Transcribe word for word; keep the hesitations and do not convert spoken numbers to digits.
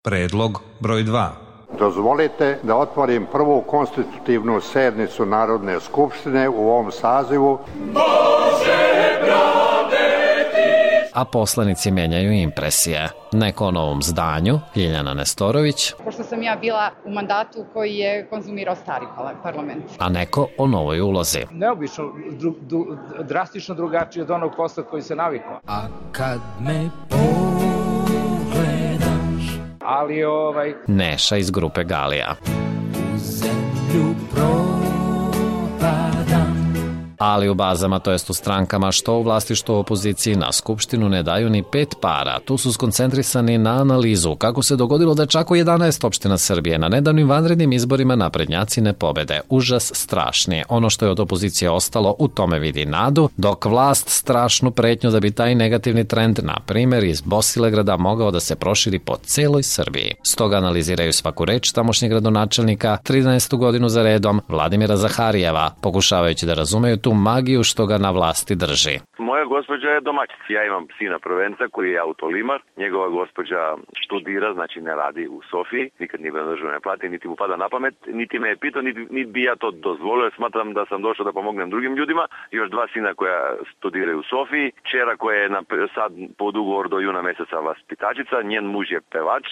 Predlog broj dva. Dozvolite da otvorim prvu konstitutivnu sednicu Narodne skupštine u ovom sazivu. Bože pravde, a poslanici menjaju impresije. Neko o novom zdanju, Ljiljana Nestorović. Pošto sam ja bila u mandatu koji je konzumirao stari parlament. A neko o novoj ulozi. Neobično, dru, dru, drastično drugačije od onog posla koji se navikao. A kad me pogledaš, ali ovaj... Neša iz grupe Galija. U zemlju propadam. Ali u bazama, to jest u strankama, što u vlasti, što u opoziciji, na skupštinu ne daju ni pet para. Tu su skoncentrisani na analizu kako se dogodilo da čak u jedanaest opština Srbije na nedavnim vanrednim izborima naprednjaci ne pobede. Užas strašni. Ono što je od opozicije ostalo, u tome vidi nadu, dok vlast strašnu pretnju da bi taj negativni trend, na primer iz Bosilegrada, mogao da se proširi po celoj Srbiji. Stoga analiziraju svaku reč tamošnjeg gradonačelnika trinaestu godinu za redom, Vladimira Zaharijeva, pokušavajući da razumeju tu magiju što ga na vlasti drži. Moja gospođa je domaćica. Ja imam sina prvenca koji je autolimar. Njegova gospođa studira, znači ne radi u Sofiji. Nikad nije bio na državnoj plati, niti mu pada na pamet, niti me je pitao, niti, niti bi ja to dozvolio. Smatram da sam došao da pomognem drugim ljudima. Još dva sina koja studiraju u Sofiji. Čera koja je na, sad pod ugovor do juna meseca vaspitačica. Njen muž je pevač.